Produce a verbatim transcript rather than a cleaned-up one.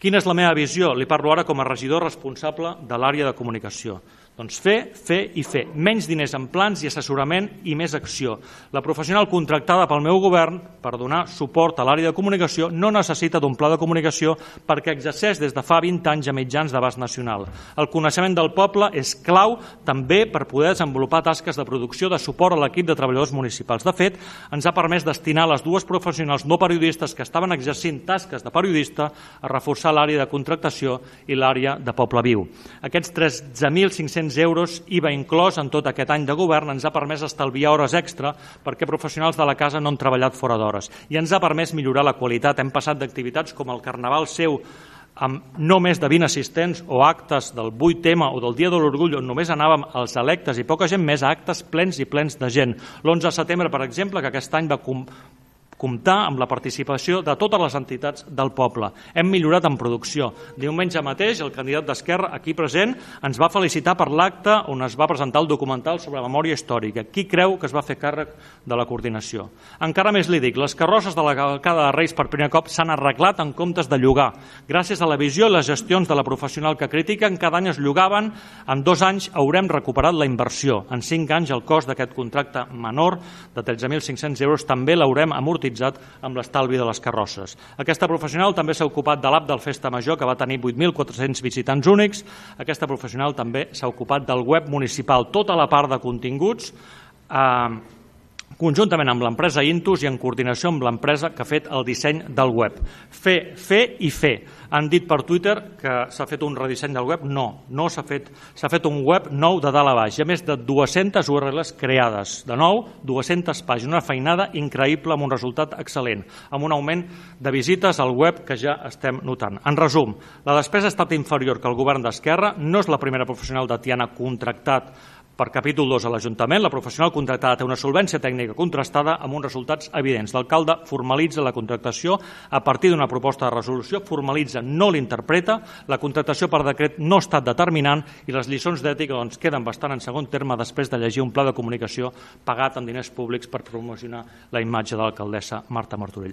Quina és la meva visió? Li parlo ara com a regidor responsable de l'àrea de comunicació. Doncs fer, fer i fer. Menys diners en plans i assessorament i més acció. La professional contractada pel meu govern per donar suport a l'àrea de comunicació no necessita d'un pla de comunicació perquè exerceix des de fa vint anys a mitjans d'abast nacional. El coneixement del poble és clau també per poder desenvolupar tasques de producció de suport a l'equip de treballadors municipals. De fet, ens ha permès destinar les dues professionals no periodistes que estaven exercint tasques de periodista a reforçar l'àrea de contractació i l'àrea de Poble Viu. Aquests tretze mil cinc-cents euros I V A inclòs en tot aquest any de govern ens ha permès estalviar hores extra perquè professionals de la casa no han treballat fora d'hores i ens ha permès millorar la qualitat. Hem passat d'activitats com el Carnaval seu amb no més de vint assistents o actes del vuit ema o del Dia de l'Orgull on només anàvem els electes i poca gent més a actes plens i plens de gent. L'onze de setembre, per exemple, que aquest any va comptar amb la participació de totes les entitats del poble. Hem millorat en producció. Diumenge mateix, el candidat d'Esquerra, aquí present, ens va felicitar per l'acte on es va presentar el documental sobre memòria històrica. Qui creu que es va fer càrrec de la coordinació? Encara més li dic, les carrosses de la cavalcada de Reis per primer cop s'han arreglat en comptes de llogar. Gràcies a la visió i les gestions de la professional que critiquen, cada any es llogaven. En dos anys haurem recuperat la inversió. En cinc anys el cost d'aquest contracte menor de tretze mil cinc-cents euros també l'haurem amortitzat amb l'estalvi de les carrosses. Aquesta professional també s'ha ocupat de l'app del Festa Major, que va tenir vuit mil quatre-cents visitants únics. Aquesta professional també s'ha ocupat del web municipal, tota la part de continguts, eh, conjuntament amb l'empresa Intus i en coordinació amb l'empresa que ha fet el disseny del web. Fer, fer i fer. Han dit per Twitter que s'ha fet un redisseny del web. No, no s'ha fet. S'ha fet un web nou de dalt a baix. Hi ha més de dues-centes U R Ls creades. De nou, dues-centes pàgines. Una feinada increïble amb un resultat excel·lent, amb un augment de visites al web que ja estem notant. En resum, la despesa ha estat inferior que el govern d'Esquerra. No és la primera professional de Tiana contractat per capítol dos a l'Ajuntament. La professional contractada té una solvència tècnica contrastada amb uns resultats evidents. L'alcalde formalitza la contractació a partir d'una proposta de resolució, formalitza, no l'interpreta, la contractació per decret no ha estat determinant i les lliçons d'ètica doncs, queden bastant en segon terme després de llegir un pla de comunicació pagat amb diners públics per promocionar la imatge de l'alcaldessa Marta Martorell.